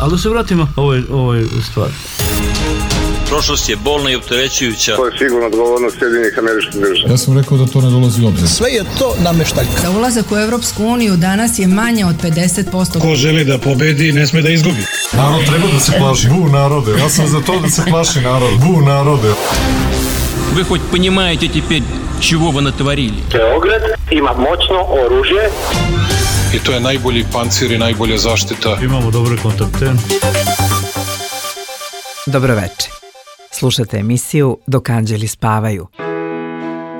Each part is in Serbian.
Ali da se vratimo ovoj stvari. Prošlost je bolna i opterećujuća. To je sigurno odgovornost Sjedinjenih Američkih Država. Ja sam rekao da to ne dolazi u obzir. Sve je to nameštaljka. Za ulazak u Evropsku uniju danas je manje od 50%. Ko želi da pobedi, ne sme da izgubi. Narod treba da se plaši. Bu narode. Ja sam za to da se plaši narod. Bu narode. Вы хоть понимаете теперь, чего вы натворили? Beograd ima moćno oružje. I to je najbolji pancir i najbolja zaštita. Imamo dobre kontakte. Dobroveče. Slušate emisiju Dok anđeli spavaju.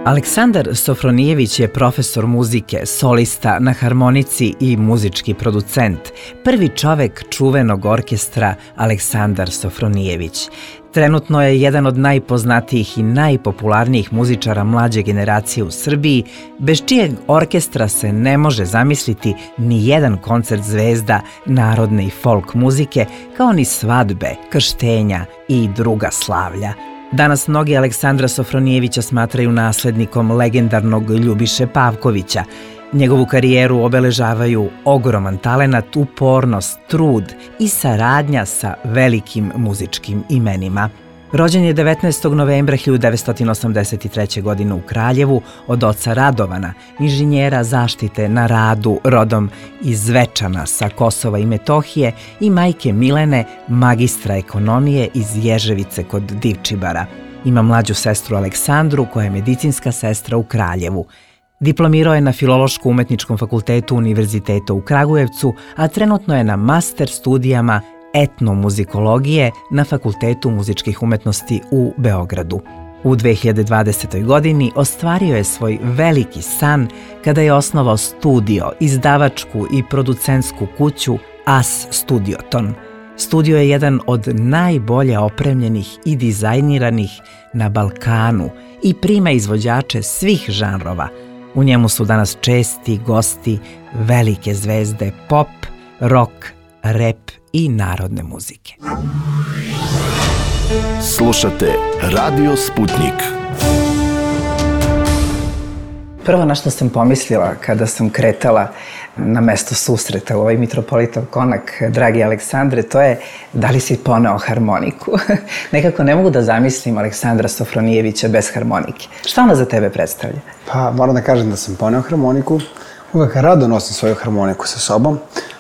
Aleksandar Sofronijević je profesor muzike, solista na harmonici i muzički producent, prvi čovek čuvenog orkestra Aleksandar Sofronijević. Trenutno je jedan od najpoznatijih i najpopularnijih muzičara mlađe generacije u Srbiji, bez čijeg orkestra se ne može zamisliti ni jedan koncert zvezda narodne i folk muzike, kao ni svadbe, krštenja i druga slavlja. Danas mnogi Aleksandra Sofronijevića smatraju naslednikom legendarnog Ljubiše Pavkovića. Njegovu karijeru obeležavaju ogroman talenat, upornost, trud i saradnja sa velikim muzičkim imenima. Rođen je 19. novembra 1983. godine u Kraljevu od oca Radovana, inženjera zaštite na radu rodom iz Zvečana sa Kosova i Metohije, i majke Milene, magistra ekonomije iz Ježevice kod Divčibara. Ima mlađu sestru Aleksandru koja je medicinska sestra u Kraljevu. Diplomirao je na Filološko-umetničkom fakultetu Univerziteta u Kragujevcu, a trenutno je na master studijama etnomuzikologije na Fakultetu muzičkih umetnosti u Beogradu. U 2020. godini ostvario je svoj veliki san kada je osnovao studio, izdavačku i producentsku kuću As Studioton. Studio je jedan od najbolje opremljenih i dizajniranih na Balkanu i prima izvođače svih žanrova. U njemu su danas česti gosti velike zvezde pop, rock, rap i narodne muzike. Slušate Radio Sputnik. Prvo na što sam pomislila kada sam kretala na mesto susreta u ovaj Mitropolitov konak, dragi Aleksandre, to je da li si poneo harmoniku. Nekako ne mogu da zamislim Aleksandra Sofronijevića bez harmonike. Šta ona za tebe predstavlja? Pa moram da kažem da sam poneo harmoniku. Uvek rado nosim svoju harmoniku sa sobom.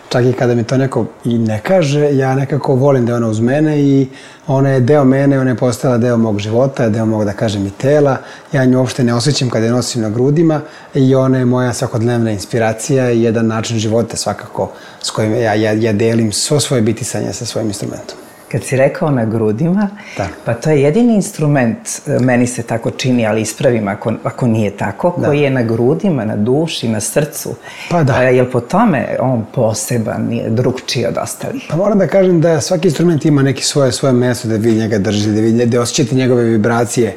Čak i kada mi to neko i ne kaže, ja nekako volim da je ona uz mene i ona je deo mene, ona je postala deo mog života, deo mog, da kažem, i tela. Ja nju uopšte ne osjećam kada je nosim na grudima i ona je moja svakodnevna inspiracija i jedan način života svakako s kojim ja delim svo svoje bitisanje sa svojim instrumentom. Kad si rekao na grudima, da. Pa to je jedini instrument, meni se tako čini, ali ispravim ako nije tako, koji je na grudima, na duši, na srcu. Pa da. Jel po tome on poseban, drugčiji od ostalih? Pa moram da kažem da svaki instrument ima neki svoje mesto da vi njega držite, da osjećate njegove vibracije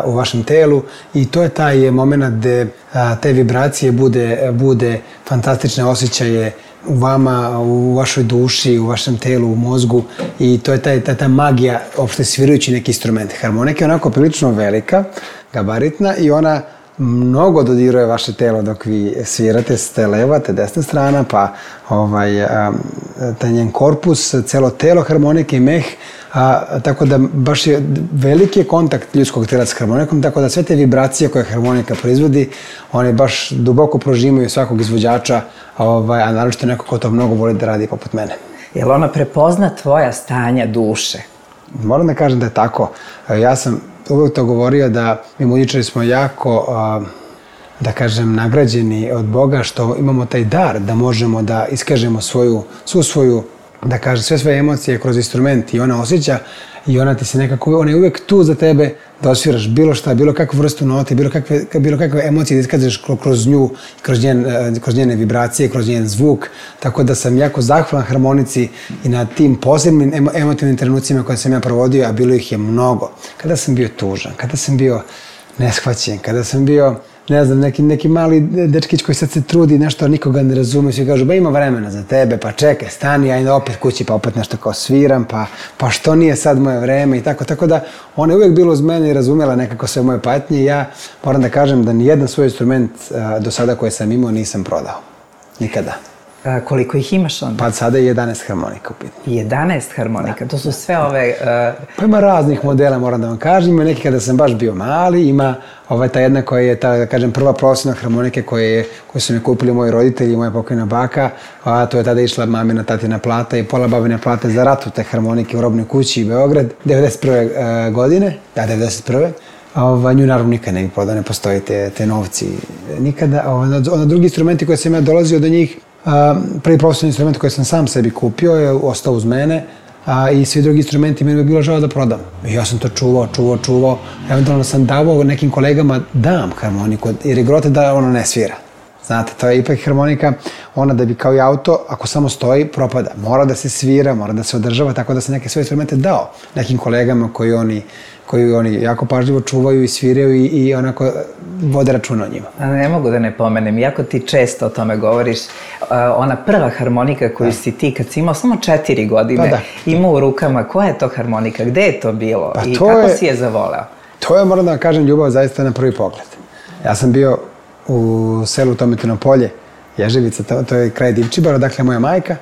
u vašem telu i to je taj moment gde te vibracije bude fantastične osjećaje u vama, u vašoj duši, u vašem telu, u mozgu i to je ta magija uopšte svirajući neki instrument. Harmonika je onako prilično velika, gabaritna i ona mnogo dodiruje vaše telo dok vi svirate, ste leva, te desna strana, pa taj njen korpus, celo telo harmonike i meh, tako da baš je veliki kontakt ljudskog tela s harmonikom, tako da sve te vibracije koje harmonika proizvodi, one baš duboko prožimaju svakog izvođača, a naročito neko ko to mnogo voli da radi poput mene. Jel ona prepozna tvoja stanja duše? Moram da kažem da je tako. Ja sam uvijek to govorio da mi muzičari smo jako, da kažem, nagrađeni od Boga što imamo taj dar da možemo da iskažemo svu svoju, da kažem, sve svoje emocije kroz instrument i ona osjeća i ona ti se nekako, ona je uvijek tu za tebe da osviraš bilo šta, bilo kakvu vrstu note, bilo kakve emocije da iskažeš kroz nju, kroz njene vibracije, kroz njen zvuk, tako da sam jako zahvalan harmonici i na tim posebnim emotivnim trenucima koje sam ja provodio, a bilo ih je mnogo. Kada sam bio tužan, kada sam bio neshvaćen, kada sam bio, ne znam, neki mali dečkić koji sad se trudi nešto, nikoga ne razume, svi kažu, ba ima vremena za tebe, pa čekaj, stani, ajde opet kući, pa opet nešto kao sviram, pa što nije sad moje vreme i tako da ona je uvijek bila uz mene i razumela nekako sve moje patnje i ja moram da kažem da nijedan svoj instrument do sada koje sam imao nisam prodao. Nikada. Koliko ih imaš onda? Pa sada je 11 harmonika u pitanju. 11 harmonika, to su sve ove... Pa ima raznih modela, moram da vam kažem. Ima neki kada sam baš bio mali, ima ta jedna koja je, da kažem, prva profesionalna harmonike koju su mi kupili moji roditelji i moja pokojna baka. A to je tada išla mamina, tatina plata i pola babine plate za ratu te harmonike u Robnoj kući i Beograd, 91. godine, da, 91. Nju naravno nikad ne bi prodao, ne postoji te novci nikada. Onda drugi instrumenti koje sam ja dolazio do njih, prvi profesionalni instrument koji sam sam sebi kupio je ostao uz mene i svi drugi instrumenti meni bi bilo žao da prodam. I ja sam to čuvao. Eventualno sam davao nekim kolegama dam harmoniku jer je grote da ona ne svira. Znate, to je ipak harmonika, ona da bi kao i auto, ako samo stoji, propada. Mora da se svira, mora da se održava, tako da sam neke svoje instrumente dao nekim kolegama koji oni jako pažljivo čuvaju i sviraju i onako vode računa o njima. Ne mogu da ne pomenem, iako ti često o tome govoriš, ona prva harmonika koju si ti, kad si imao samo 4 godine, imao u rukama, koja je to harmonika, gde je to bilo i kako si je zavoleo? To je, moram da vam kažem, ljubav zaista na prvi pogled. Ja sam bio u selu Tometino polje, Ježevica, to je kraj Divčibara, dakle moja majka,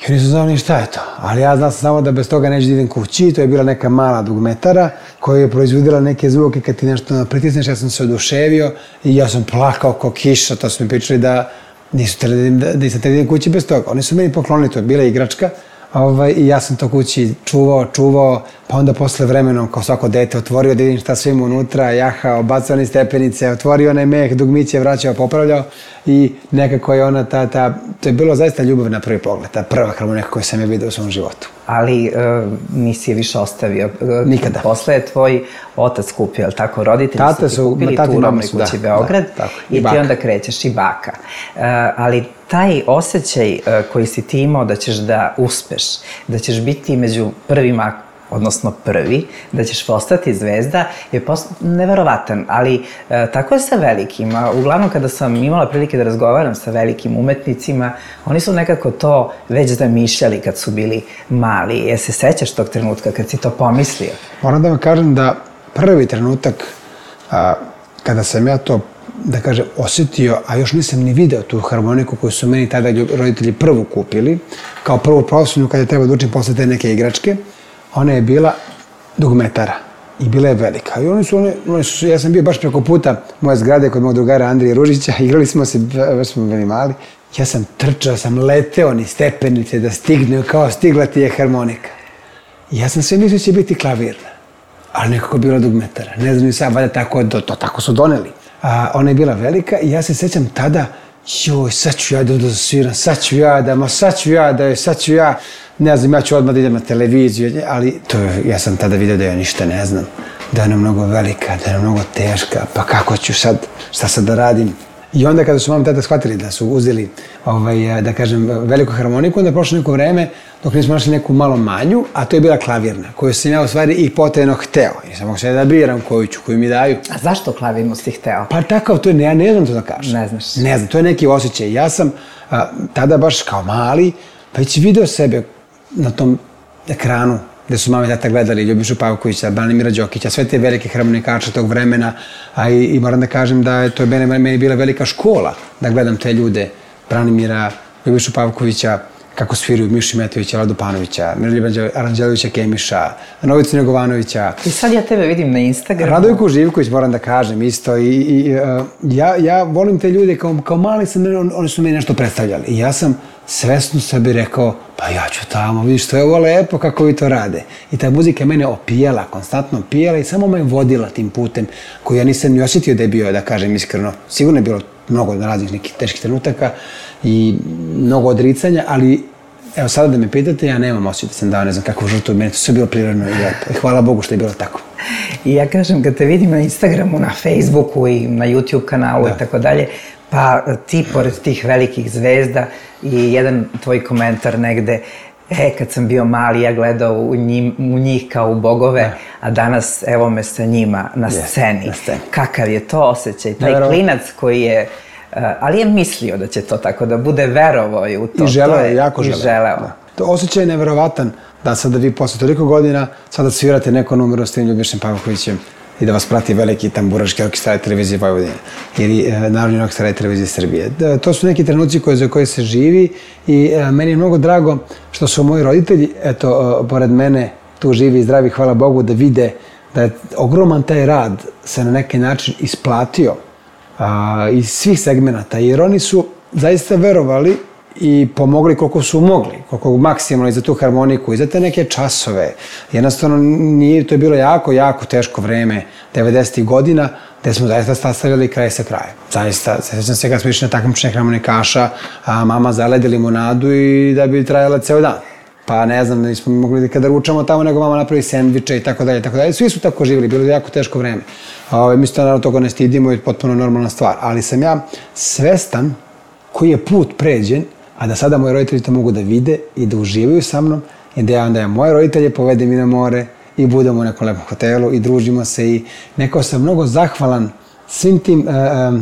i nisam znao ni šta je to. Ali ja znam samo da bez toga neću da idem kući, to je bila neka mala dugmetara koja je proizvodila neke zvuke kad ti nešto pritisneš, ja sam se oduševio i ja sam plakao kao kiša, to su mi pričali da nisam htjeli da idem kući bez toga. Oni su meni poklonili, to je bila igračka, i ja sam to kući čuvao, pa onda posle vremenom, kao svako dete, otvorio da vidim šta sve ima unutra, jahao, bacao one stepenice, otvorio onaj meh, dugmiće, vraćao, popravljao i nekako je ona to je bilo zaista ljubav na prvi pogled, ta prva harmonika koju sam je vidio u svom životu. Ali nisi je više ostavio. Nikada. Posle je tvoj otac kupio, je li tako? Roditelji su ti kupili tu u Robnoj kući Beograd i ti onda krećeš i baka. Ali taj osjećaj koji si ti imao da ćeš da uspeš, da ćeš biti među prvima, odnosno prvi, da ćeš postati zvezda, je neverovatan, ali tako je sa velikima. Uglavnom, kada sam imala prilike da razgovaram sa velikim umetnicima, oni su nekako to već zamišljali kad su bili mali. Je se sećaš tog trenutka kad si to pomislio? Moram da vam kažem da prvi trenutak kada sam ja to, da kažem, osjetio, a još nisam ni video tu harmoniku koju su meni tada roditelji prvu kupili, kao prvu profesionalnu kada je trebao da učim posle te neke igračke, ona je bila dugmetara i bila je velika. I ja sam bio baš preko puta moje zgrade kod mog drugara Andrije Ružića, igrali smo se, već smo bili mali. Ja sam trčao, sam leteo ni stepenice da stigne, kao stigla ti je harmonika. I ja sam sve mislio će biti klavirna, ali nekako bila dugmetara. Ne znam ni sad, valjda tako su doneli. Ona je bila velika i ja se sećam tada, sad ću ja da sviram, sad ću ja, ne znam, ja ću odmah da idem na televiziju, ali ja sam tada vidio da ja ništa ne znam, da je ona mnogo velika, da je ona mnogo teška, pa kako ću sad, šta sad da radim? I onda kada su mama i tata shvatili da su uzeli, da kažem, veliku harmoniku, onda je prošlo neko vreme dok nismo našli neku malo manju, a to je bila klavirna, koju sam ja u stvari i potajno hteo. Nisam mogu sve da biram koju mi daju. A zašto klavirnu si hteo? Pa takav, ja ne znam to da kažem. Ne znaš? Ne znam, to je neki osjećaj. Ja sam tada baš kao mali, već video sebe na tom ekranu gde su mama i tata gledali Ljubišu Pavkovića, Branimira Đokića, sve te velike harmonikače tog vremena, a i moram da kažem da je to meni bila velika škola da gledam te ljude, Branimira, Ljubišu Pavkovića, kako sviruju Mišu Metovića, Vladu Panovića, Miroljuba Aranđelovića Kemiša, Novicu Negovanovića. I sad ja tebe vidim na Instagramu. Radojku Živković, moram da kažem isto. Ja volim te ljude, kao mali oni su meni nešto predstavljali. I ja sam svesno sebi rekao, pa ja ću tamo, vidiš, to je ovo lepo kako vi to rade. I ta muzika mene opijala, konstantno opijala i samo me vodila tim putem koji ja nisam ni osjetio da je bio, da kažem iskreno. Sigurno je bilo mnogo raznih nekih teških trenutaka i mnogo odricanja, ali evo sada da me pitate, ja nemam osjećaj da sam dao ne znam kakvu žrtvu, meni to sve bilo prirodno i lepo. I hvala Bogu što je bilo tako. I ja kažem, kad te vidim na Instagramu, na Facebooku i na YouTube kanalu i tako dalje, pa ti, pored tih velikih zvezda i jedan tvoj komentar negde, kad sam bio mali, ja gledao u njih kao u bogove, a danas evo me sa njima na sceni. Kakav je to osjećaj? Taj klinac koji je, ali je mislio da će to tako da bude, verovao je u to. I želeo, jako želeo. To osjećaj je neverovatan da sada vi posle toliko godina sada svirate neko numero s tim Ljubišem Pavkovićem. i da vas prati veliki tamburaški orkestar televizije Vojvodine ili Narodni orkestar televizije Srbije. To su neki trenuci za koje se živi i meni je mnogo drago što su moji roditelji, eto, pored mene, tu živi i zdravi, hvala Bogu, da vide da je ogroman taj rad se na neki način isplatio iz svih segmenata, jer oni su zaista verovali i pomogli koliko su mogli, koliko maksimalno i za tu harmoniku i za te neke časove. Jednostavno, to je bilo jako teško vreme 90. godina, gde smo zaista sastavljali kraj sa krajem. Zaista, sećam se kad smo išli na takmičenje harmonikaša, a mama zaledi limunadu i da bi trajala ceo dan. Pa ne znam, nismo mogli kada ručamo tamo, nego mama napravi sendviče i tako dalje, tako dalje. Svi su tako živjeli, bilo je jako teško vreme. Mi se naravno toga ne stidimo i potpuno normalna stvar. Ali sam ja svestan koji je put pređen, a da sada moji roditelji to mogu da vide i da uživaju sa mnom i da ja onda moje roditelje povedem i na more i budemo u nekom lepom hotelu i družimo se i nekako sam mnogo zahvalan svim tim,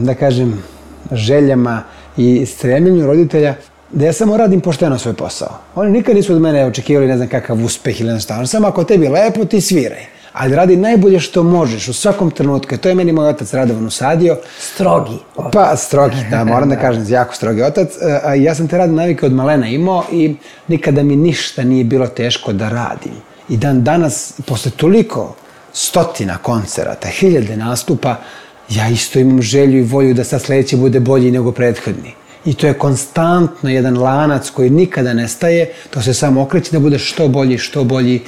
da kažem, željama i stremljenju roditelja da ja samo radim pošteno svoj posao. Oni nikad nisu od mene očekivali ne znam kakav uspeh ili nešto. Samo ako tebi lepo, ti sviraj. Ali radi najbolje što možeš u svakom trenutku. To je meni moj otac Radovan usadio. Strogi otac. Pa, strogi, da, moram da kažem, jako strogi otac. Ja sam te radne navike od malena imao i nikada mi ništa nije bilo teško da radim. I dan danas, posle toliko stotina koncerata, 1000 nastupa, ja isto imam želju i volju da sad sledeći bude bolji nego prethodni. I to je konstantno jedan lanac koji nikada ne staje, to se samo okreće da bude što bolji,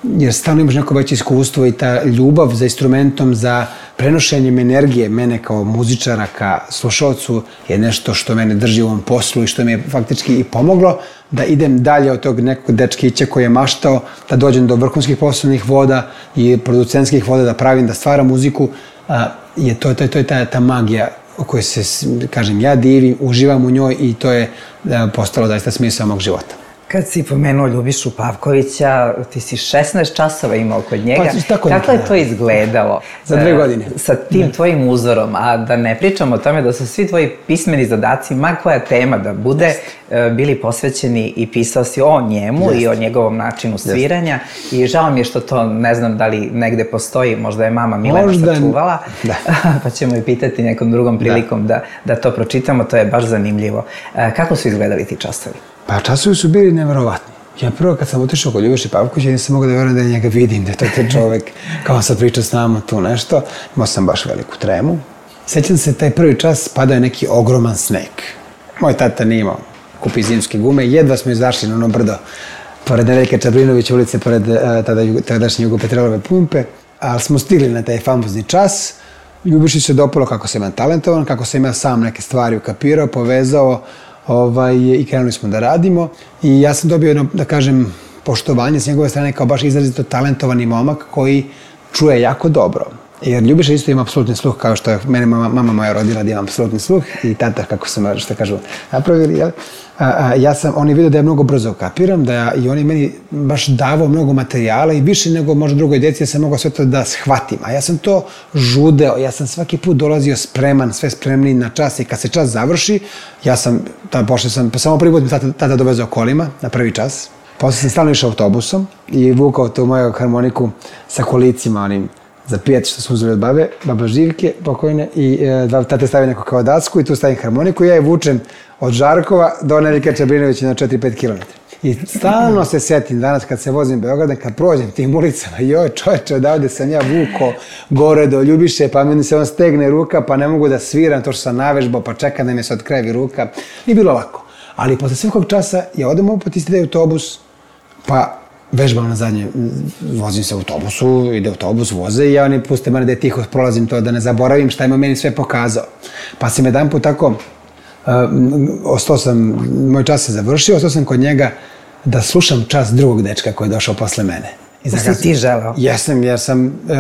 jer stalno imaš neko veće iskustvo i ta ljubav za instrumentom, za prenošenjem energije mene kao muzičara ka slušalcu je nešto što mene drži u ovom poslu i što mi je faktički i pomoglo da idem dalje od tog nekog dečkića koji je maštao da dođem do vrhunskih poslovnih voda i producentskih voda, da pravim, da stvaram muziku. To je ta magija o kojoj se, kažem, ja divim, uživam u njoj i to je postalo zaista smisao mog života. Kad si pomenuo Ljubišu Pavkovića, ti si 16 časova imao kod njega. Kako je to izgledalo? Za 2 godine. Sa tim tvojim uzorom, a da ne pričamo o tome da su svi tvoji pismeni zadaci, ma koja tema da bude, bili posvećeni i pisao si o njemu i o njegovom načinu sviranja i žao mi je što to, ne znam da li negde postoji, možda je mama Milena sačuvala, pa ćemo i pitati nekom drugom prilikom da to pročitamo, to je baš zanimljivo. Kako su izgledali ti časovi? Pa časovi su bili neverovatni. Ja prvo kad sam otišao kod Ljubiše Pavkovića nisam mogao da verujem da njega vidim, da je to taj čovek kao sad priča s nama tu nešto. Imao sam baš veliku tremu. Sećam se, taj prvi čas padao je neki ogroman sneg. Moj tata nije imao kupi zimske gume, jedva smo izašli na ono brdo pored Nedeljka Čabrinovića ulice, pored tadašnje Jugopetrolove pumpe, ali smo stigli na taj famozni čas. Ljubiši se dopalo kako sam ja talentovan, kako sam ja sam neke stvari ukapirao, povezao, i krenuli smo da radimo i ja sam dobio, da kažem, poštovanje s njegove strane kao baš izrazito talentovani momak koji čuje jako dobro. Jer Ljubiša isto ima apsolutni sluh, kao što je mene mama moja rodila da imam apsolutni sluh i tata, kako sam, što kažu, napravili, jel? On je vidio da ja mnogo brzo kapiram, i on je meni baš davao mnogo materijala i više nego možda drugoj deci, ja sam mogao sve to da shvatim. A ja sam to žudeo, ja sam svaki put dolazio spreman, sve spremniji na čas i kad se čas završi, pošao sam, samo prvi put mi tata dovezao kolima na prvi čas. Posle sam stalno išao autobusom i vukao tu moju harmoniku sa kolicima, onim za pijet što smo uzeli od baba Živke pokojne i tate stavi neko kao dacku i tu stavim harmoniku i ja je vučem od Žarkova do Nedeljka Čabrinovića na 4-5 km. I stalno se setim danas kad se vozim Beogradom, kad prođem tim ulicama, joj čoveče, odavde sam ja vuko gore do Ljubiše, pa meni se on stegne ruka, pa ne mogu da sviram to što sam navežbao, pa čekam da mi se odkrajevi ruka. Nije bilo lako. Ali posle svakog časa ja odem opet isti autobus, pa vežbam na zadnje, vozim se u autobusu, ide autobus, voze i ja oni puste mene da je tiho prolazim to, da ne zaboravim šta ima meni sve pokazao. Pa sam jedan put tako, ostao sam, moj čas se završio, ostao sam kod njega da slušam čas drugog dečka koji je došao posle mene. Da si ti želeo? Jesam, jer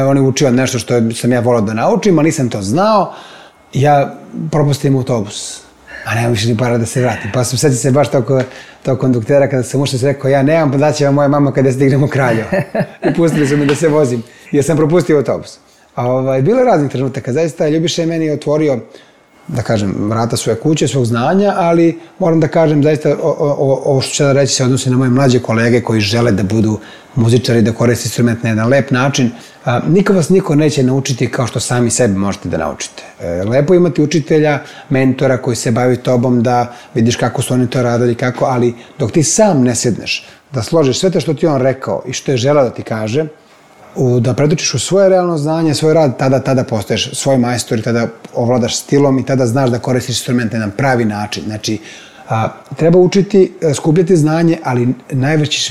on je učio nešto što sam ja volao da naučim, ali nisam to znao. Ja propustim autobus. A nemam više ni para da se vratim. Pa sam sećam se baš tog konduktera kada sam ušao i rekao ja nemam, pa daće vam moja mama kada stignemo Kraljevo. I pustili su me da se vozim jer sam propustio autobus. Bilo je raznih trenutaka. Zaista Ljubiša je meni otvorio da kažem, vrata svoje kuće, svog znanja, ali moram da kažem, zaista, ovo što ću da reći se odnosi na moje mlađe kolege koji žele da budu muzičari, da koriste instrument na jedan lep način. Niko vas niko neće naučiti kao što sami sebe možete da naučite. Lepo imati učitelja, mentora koji se bavi tobom, da vidiš kako su oni to radili, kako, ali dok ti sam ne sedneš, da složiš sve to što ti on rekao i što je želeo da ti kaže, da predočiš u svoje realno znanje, svoj rad, tada postaješ svoj majstor i tada ovladaš stilom i tada znaš da koristiš instrumente na pravi način. Znači, treba učiti, skupljati znanje, ali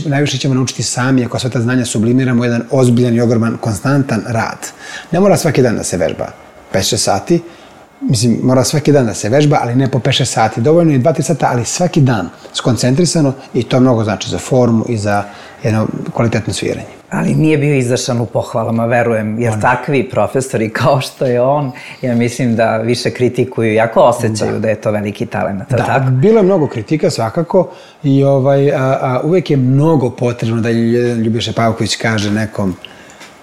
najviše ćemo naučiti sami ako sve ta znanja sublimiramo u jedan ozbiljan i ogroman, konstantan rad. Ne mora svaki dan da se vežba 5-6 sati, mislim, mora svaki dan da se vežba, ali ne po 5-6 sati. Dovoljno je 2-3 sata, ali svaki dan skoncentrisano i to mnogo znači za formu i za jedno kvalitetno sviranje. Ali nije bio izašan u pohvalama, verujem, jer takvi profesori kao što je on, ja mislim da više kritikuju, jako osjećaju da je to veliki talent. Da, bilo je mnogo kritika svakako i uvek je mnogo potrebno da Ljubiša Pavković kaže nekom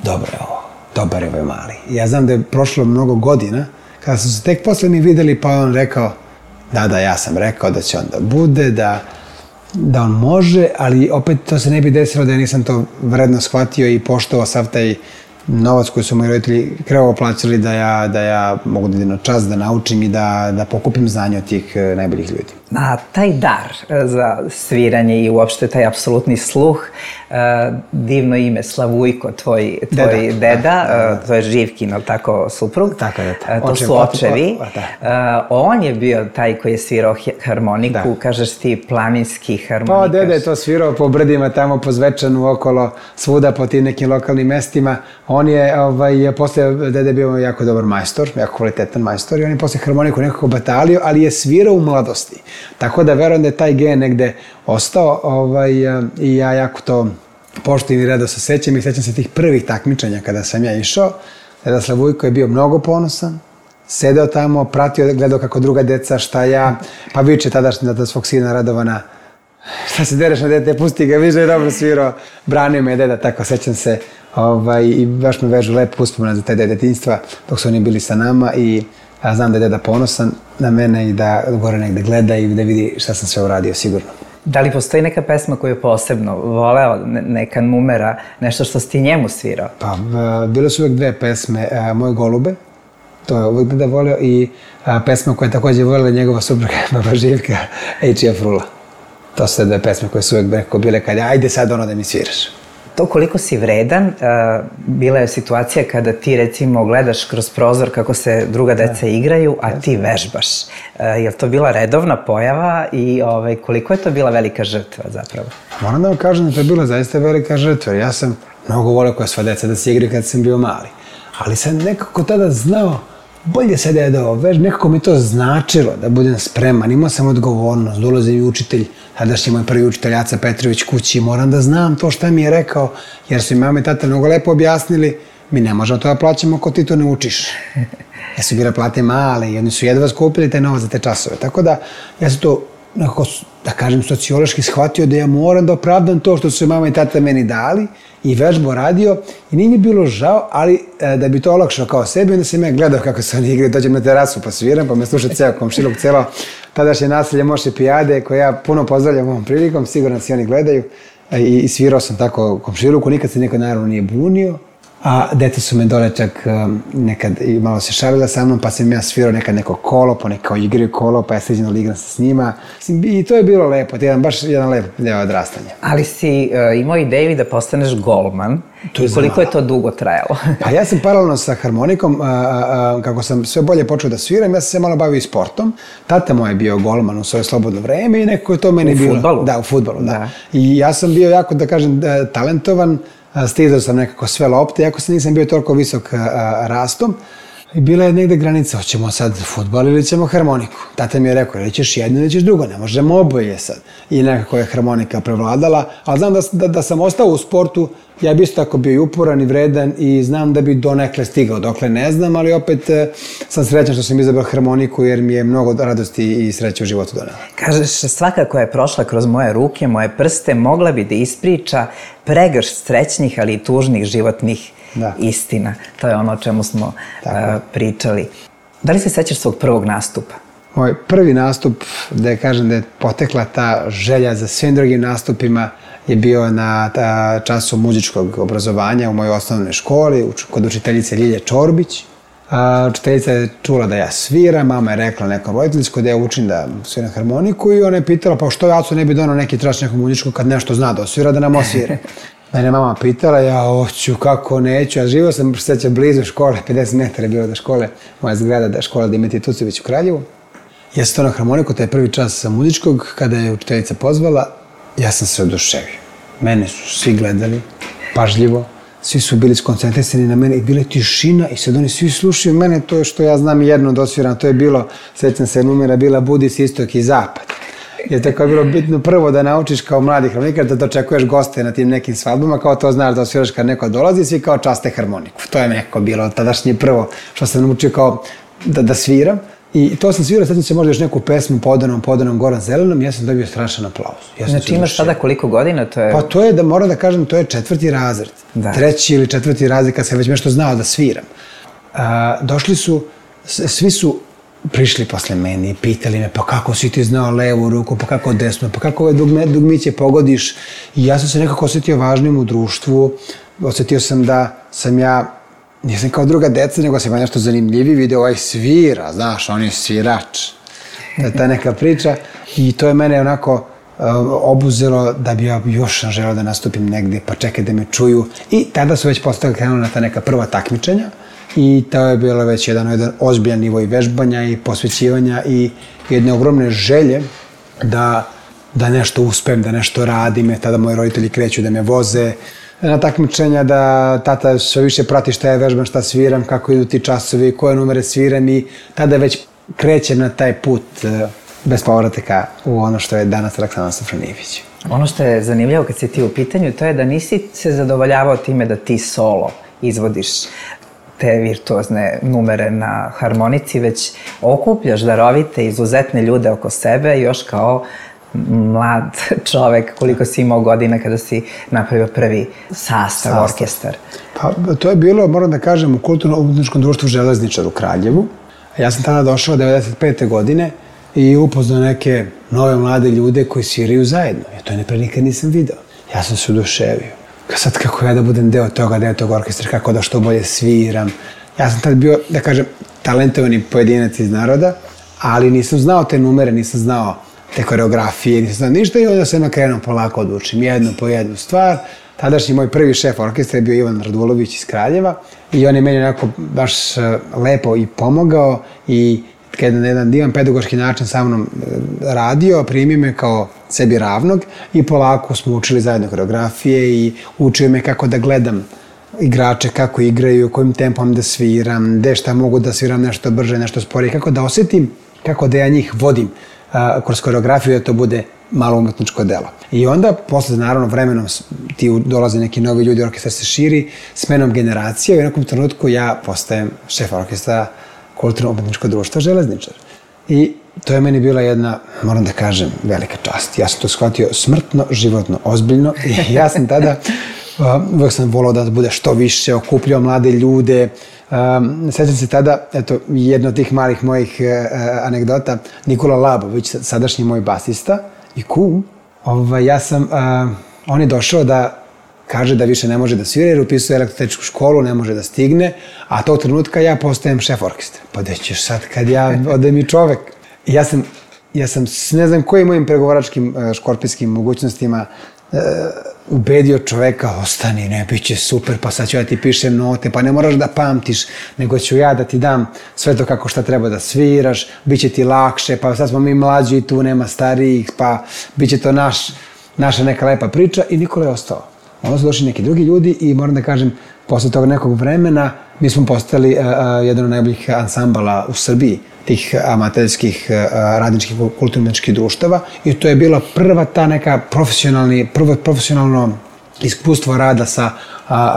dobro je ovo, dobar je ovaj mali. Ja znam da je prošlo mnogo godina, kada su se tek posle mi videli, pa on rekao da, ja sam rekao da će on da bude, da on može, ali opet to se ne bi desilo da ja nisam to vredno shvatio i poštovao sav taj novac koji su moji roditelji krvavo plaćali da ja mogu da idem na čas, da naučim i da pokupim znanje od tih najboljih ljudi. A taj dar za sviranje i uopšte taj apsolutni sluh, divno ime Slavujko, tvoj deda, to je Živkin, ali tako, suprug? Tako je, to su očevi. On je bio taj koji je svirao harmoniku, kažeš ti planinski harmonikaš. Pa, deda je to svirao po brdima, tamo po Zvečanu, okolo, svuda po tim nekim lokalnim mestima. On je, posle, deda je bio jako dobar majstor, jako kvalitetan majstor i on je posle harmoniku nekako batalio, ali je svirao u mladosti. Tako da verujem da je taj gen negde ostao i ja jako to poštujem i rado se sećam i sećam se tih prvih takmičenja kada sam ja išao. Deda Slavujko je bio mnogo ponosan, sedeo tamo, pratio, gledao kako druga deca, šta ja, pa viče tadašnji da svog sina Radovana, šta se dereš na dete, pusti ga, više je dobro svirao, branio me deda, tako sećam se i baš me vežu lepo uspomena za taj detinjstva dok su oni bili sa nama i ja znam da je deda ponosan na mene i da gore negde gleda i da vidi šta sam sve uradio, sigurno. Da li postoji neka pesma koju je posebno voleo, neka numera, nešto što si ti njemu svirao? Pa, bile su uvek dve pesme, Moje golube, to je uvek deda voleo, i pesma koja je takođe volela njegova supruga, baba Živka, Ejčija Frula. To su te dve pesme koje su uvek bile kada, ajde sad da mi sviraš. To koliko si vredan, bila je situacija kada ti recimo gledaš kroz prozor kako se druga deca igraju, a ti vežbaš. Je li to bila redovna pojava i koliko je to bila velika žrtva zapravo? Moram da vam kažem da to je bila zaista velika žrtva. Ja sam mnogo voleo koja sva deca da se igraju kad sam bio mali. Ali sam nekako tada znao, bolje sad je da nekako mi to značilo da budem spreman. Imao sam odgovornost, dolazi mi učitelj, tadašnji moj prvi učitelj Aca Petrović kući, moram da znam to šta mi je rekao, jer su i mama i tata mnogo lepo objasnili, mi ne možemo to da plaćamo ako ti to ne učiš. Ja su bile plate male i oni su jedva skupili taj novac za te časove. Tako da ja sam to nekako, da kažem, sociološki shvatio da ja moram da opravdam to što su mama i tata meni dali i vežbu radio i nije mi bilo žao, ali da bi to olakšao kao sebi, onda sam ja gledao kako se oni igraju, dođem na terasu pa sviram, pa me sluša ceo komšiluk, celo tadašnje naselje Moše Pijade, koje ja puno pozdravljam ovom prilikom, sigurno se oni gledaju i svirao sam tako komšiluku, nikad se nekad naravno nije bunio. A deca su me dole čak nekad i malo se šalila sa mnom, pa sam ja svirao nekad neko kolo, pa neko igraju kolo, pa ja sređeno igram se s njima. I to je bilo lepo, baš jedan lep deo odrastanja. Ali si imao ideju da postaneš golman i koliko je to dugo trajalo? Pa ja sam paralelno sa harmonikom, kako sam sve bolje počeo da sviram, ja sam se malo bavio i sportom. Tata moj je bio golman u svoje slobodno vreme i nekako je to meni bilo... U fudbalu? Da, u fudbalu, da. I ja sam bio jako, da kažem, talentovan. Stizao sam nekako sve lopte, iako sam nisam bio toliko visok rastom. I bila je negde granica, hoćemo sad fudbal ili ćemo harmoniku. Tata mi je rekao, ili ćeš jedno ili ćeš drugo, ne možemo oboje sad. I nekako je harmonika prevladala, ali znam da sam ostao u sportu, ja bi isto tako bio i uporan i vredan i znam da bi donekle stigao, dokle ne znam, ali opet sam srećan što sam izabrao harmoniku jer mi je mnogo radosti i sreće u životu donela. Kažeš, svaka koja je prošla kroz moje ruke, moje prste, mogla bi da ispriča pregršt srećnih, ali i tužnih životnih istina. To je ono o čemu smo pričali. Da li se sećaš svog prvog nastupa? Moj prvi nastup, da kažem da je potekla ta želja za svim drugim nastupima, je bio na času muzičkog obrazovanja u mojoj osnovnoj školi, kod učiteljice Ljilje Čorbić. Učiteljica je čula da ja sviram, mama je rekla nekom roditeljsku da ja učim da sviram harmoniku i ona je pitala pa što Aco ne bi donao neki trač nekog muzičkog kad nešto zna da osvira, da nam osvira. Mene mama pitala, ja hoću, kako neću, a živio sam seća blizu škole, 50 metara je bilo do škole, moja zgrada da je škola Dimitrije Tucović u Kraljevu. Ja sam to na harmoniku, taj prvi čas muzičkog, kada je učiteljica pozvala, ja sam se oduševio. Mene su svi gledali, pažljivo, svi su bili skoncentrisani na mene i bila je tišina i sad oni svi slušaju mene, to je što ja znam jedno da osviram, to je bilo, sećam se, numera bila Budi se istok i zapad. Jer tako je bilo bitno prvo da naučiš kao mladi harmonikar da dočekuješ goste na tim nekim svadbama, kao to znaš da osviraš kad neko dolazi, svi kao časte harmoniku. To je nekako bilo tadašnje prvo što sam naučio kao da sviram. I to sam svirao, sad se možda još neku pesmu Podanom Goran Zelenom, ja sam dobio strašan aplauz. Znači imaš sada koliko godina? Pa to je, moram da kažem, to je 4. razred. 3. ili 4. razred kad sam već nešto znao da sviram. Došli su, svi su prišli posle mene i pitali me pa kako si ti znao levu ruku, pa kako desnu, pa kako ove dugmiće pogodiš. I ja sam se nekako osjetio važnim u društvu, osjetio sam da sam ja, nisam kao druga deca, nego sam nešto zanimljiviji, video ovaj svira, znaš, on je svirač. Ta neka priča i to je mene onako obuzelo da bi ja još želeo da nastupim negdje, pa čekaj da me čuju. I tada su već postali krenuli na ta neka prva takmičenja i to je bilo već jedan ozbiljan nivo i vežbanja i posvećivanja i jedne ogromne želje da nešto uspem, da nešto radim. Tada moji roditelji kreću da me voze na takmičenja, da tata sve više prati šta je vežbam, šta sviram, kako idu ti časovi, koje numere sviram i tada već krećem na taj put bez povratka u ono što je danas Aleksandar Sofronijević. Ono što je zanimljivo kad si ti u pitanju, to je da nisi se zadovoljavao time da ti solo izvodiš te virtuozne numere na harmonici, već okupljaš darovite, izuzetne ljude oko sebe još kao mlad čovek, koliko si imao godina kada si napravio prvi sastav, orkestar? Pa to je bilo, moram da kažem, u kulturno-umetničkom društvu Železničar u Kraljevu. Ja sam tada došao 1995. godine i upoznao neke nove mlade ljude koji sviraju zajedno. Ja to pre nikad nisam video. Ja sam se oduševio. Sad kako ja da budem deo tog orkestra, kako da što bolje sviram. Ja sam tada bio, da kažem, talentovani pojedinac iz naroda, ali nisam znao te numere, nisam znao te koreografije, nisam znao ništa i onda sam krenuo polako da učim jednu po jednu stvar. Tadašnji moj prvi šef orkestra je bio Ivan Radulović iz Kraljeva i on je meni onako baš lepo i pomogao i kada na jedan divan pedagoški način sa mnom radio, primio me kao sebi ravnog i polako smo učili zajedno koreografije i učio me kako da gledam igrače, kako igraju, kojim tempom da sviram, gde šta mogu da sviram nešto brže, nešto sporije, kako da osetim, kako da ja njih vodim kroz koreografiju da to bude malo umetničko delo. I onda, posle, naravno, vremenom ti dolaze neki novi ljudi, orkestar se širi, smenom generacije i u nekom trenutku ja postajem šef orkestra Kulturno-umetničkog društva Železničar. I to je meni bila jedna, moram da kažem, velika čast. Ja sam to shvatio smrtno, životno, ozbiljno i ja sam tada, uvek sam volao da bude što više, okupljao mlade ljude. Sjećam se tada, eto, jedna od tih malih mojih anegdota, Nikola Labović, sadašnji moj basista i kum, on je došao da kaže da više ne može da svira jer upisuje elektrotehničku školu, ne može da stigne, a tog trenutka ja postajem šef orkestra. Pa gde ćeš sad kad ja odem i čovek? Ja sam ne znam kojim mojim pregovaračkim škorpijskim mogućnostima ubedio čoveka, ostani, ne, bit će super, pa sad ću ja ti pišem note, pa ne moraš da pamtiš, nego ću ja da ti dam sve to kako šta treba da sviraš, bit će ti lakše, pa sad smo mi mlađi i tu nema starijih, pa bit će to naša neka lepa priča i Nikola je ostao. Onda su došli neki drugi ljudi i moram da kažem, posle tog nekog vremena mi smo postali jedan od najboljih ansambala u Srbiji, tih amaterskih radničkih kulturno-umetničkih društava i to je bila prva ta neka profesionalno iskustvo rada sa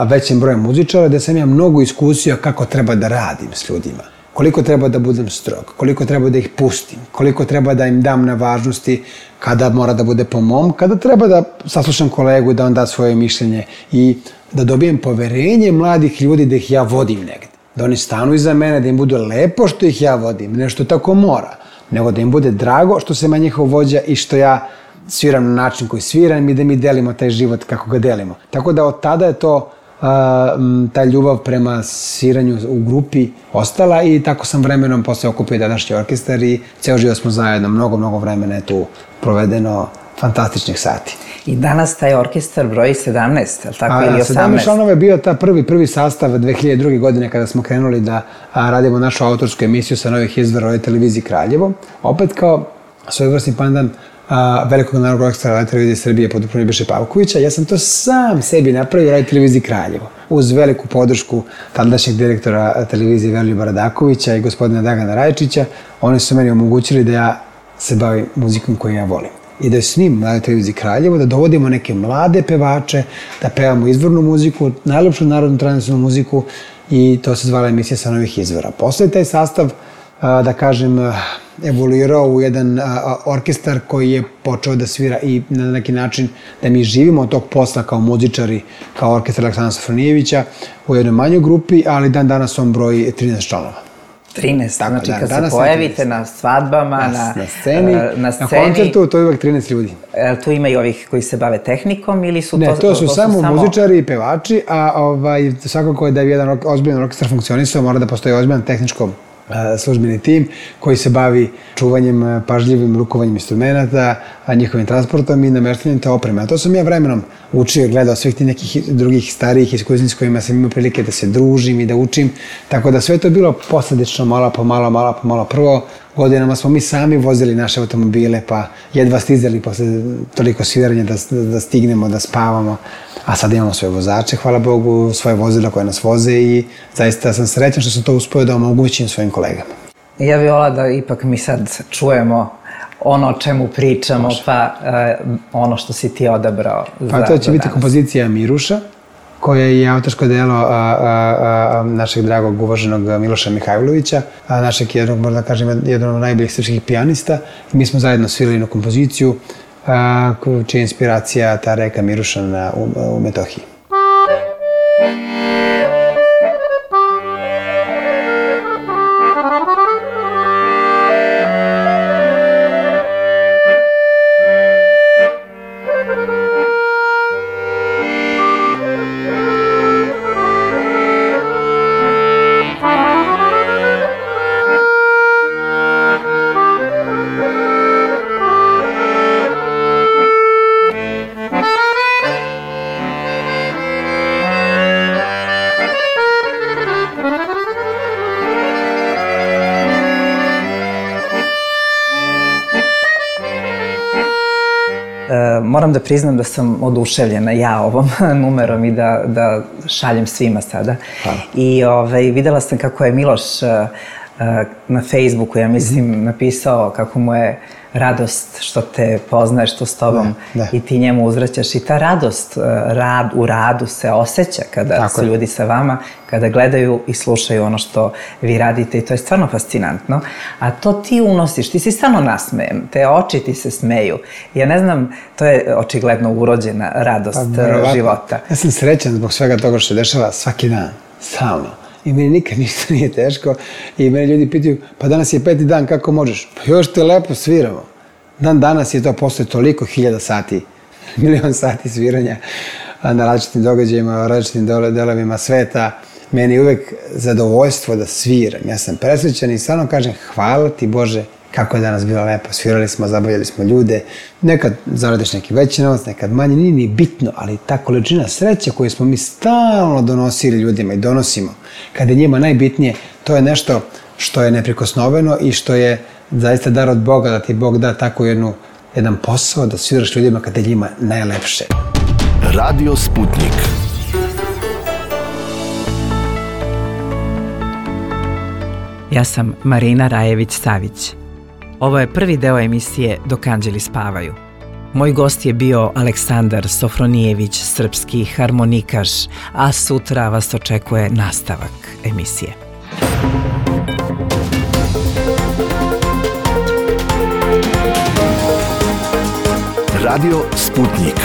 većim brojem muzičara, gde sam ja mnogo iskusio kako treba da radim s ljudima. Koliko treba da budem strog, koliko treba da ih pustim, koliko treba da im dam na važnosti, kada mora da bude po mom, kada treba da saslušam kolegu i da on da svoje mišljenje i da dobijem poverenje mladih ljudi da ih ja vodim negde. da oni stanu iza mene, da im bude lepo što ih ja vodim, ne što tako mora, nego da im bude drago što sam ja njihov vođa i što ja sviram na način koji sviram i da mi delimo taj život kako ga delimo. Tako da od tada je to ta ljubav prema sviranju u grupi ostala i tako sam vremenom posle okupio današnji orkestar i ceo život smo zajedno, mnogo vremena je tu provedeno, fantastičnih sati. I danas taj orkestar broji 17, je li tako, ili 18? 17 članova je bio ta prvi sastav 2002. godine kada smo krenuli da radimo našu autorsku emisiju sa Novih izvora Radio televiziji Kraljevo. Opet kao svojevrsni pandan velikog narodnog orkestra Radio televizije Srbije pod upravom Nebojše Pavkovića. Ja sam to sam sebi napravio Radio televiziji Kraljevo. Uz veliku podršku tadašnjeg direktora televizije Veroljuba Radakovića i gospodina Dragana Rajčića. Oni su meni omogućili da ja se bavim muzikom koju ja volim. I da snimim Radio televiziji Kraljevo, da dovodimo neke mlade pevače, da pevamo izvornu muziku, najlepšu narodnu tradicionalnu muziku i to se zvala emisija Sa novih izvora. Posle taj sastav, da kažem, evoluirao u jedan orkestar koji je počeo da svira i na neki način da mi živimo od tog posla kao muzičari, kao orkestar Aleksandra Sofronijevića u jednoj manjoj grupi, ali dan danas on broji 13 članova. 13, tako, znači kad se pojavite na svadbama, na sceni, na koncertu, to je uvek 13 ljudi. Tu ima i ovih koji se bave tehnikom ili su to... Ne, to su samo muzičari i pevači, a svakako je da je jedan ozbiljan orkestar funkcionisao, mora da postoji ozbiljan tehničko službeni tim koji se bavi čuvanjem, pažljivim rukovanjem instrumenta, njihovim transportom i nameštanjem te opreme. A to sam ja vremenom učio i gledao svih tih nekih drugih starijih iskustva s kojima sam imao prilike da se družim i da učim. Tako da sve to je bilo posledično, malo po malo. Prvo, godinama smo mi sami vozili naše automobile, pa jedva stizali posle toliko sviranja da stignemo, da spavamo. A sad imamo svoje vozače, hvala Bogu, svoje vozila koje nas voze i zaista sam srećan što sam to uspio da omogućim svojim kolegama. Ja bih volila da ipak mi sad čujemo ono o čemu pričamo, pa ono što si ti odabrao za danas. Pa to će biti kompozicija Miruša, koja je autorsko delo našeg dragog uvaženog Miloša Mihajlovića, našeg jednog, možda kažem, jednog od najboljih srpskih pijanista. Mi smo zajedno svirali jednu kompoziciju čija je inspiracija ta reka Miruša u Metohiji. Moram da priznam da sam oduševljena ja ovom numerom i da šaljem svima sada. I videla sam kako je Miloš na Facebooku, ja mislim, napisao kako mu je radost što te poznaje, što s tobom i ti njemu uzvraćaš. I ta radost u radu se osjeća kada su ljudi sa vama, kada gledaju i slušaju ono što vi radite i to je stvarno fascinantno. A to ti unosiš, ti si samo nasmejem, te oči ti se smeju. Ja ne znam, to je očigledno urođena radost života. Ja sam srećan zbog svega toga što se dešava svaki dan, stalno. I meni nikad ništa nije teško i meni ljudi pitaju, pa danas je 5. dan, kako možeš? Pa još te lepo sviramo. Dan danas je to posle toliko hiljada sati, milion sati sviranja na različitim događajima, različitim delovima sveta. Meni je uvek zadovoljstvo da sviram. Ja sam presrećan i stvarno kažem hvala ti Bože kako je danas bilo lepo. Svirali smo, zabavljali smo ljude. Nekad zaradiš neki veći novac, nekad manje, nije ni bitno, ali ta količina sreće koju smo mi stalno donosili ljudima i donosimo, kada je njima najbitnije, to je nešto što je neprikosnoveno i što je zaista dar od Boga, da ti Bog da tako jedan posao, da sviraš ljudima kada je njima najlepše. Radio Sputnik. Ja sam Marina Rajević-Savić. Ovo je prvi deo emisije Dok anđeli spavaju. Moj gost je bio Aleksandar Sofronijević, srpski harmonikaš, a sutra vas očekuje nastavak emisije. Radio Sputnik.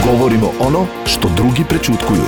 Govorimo ono što drugi prećutkuju.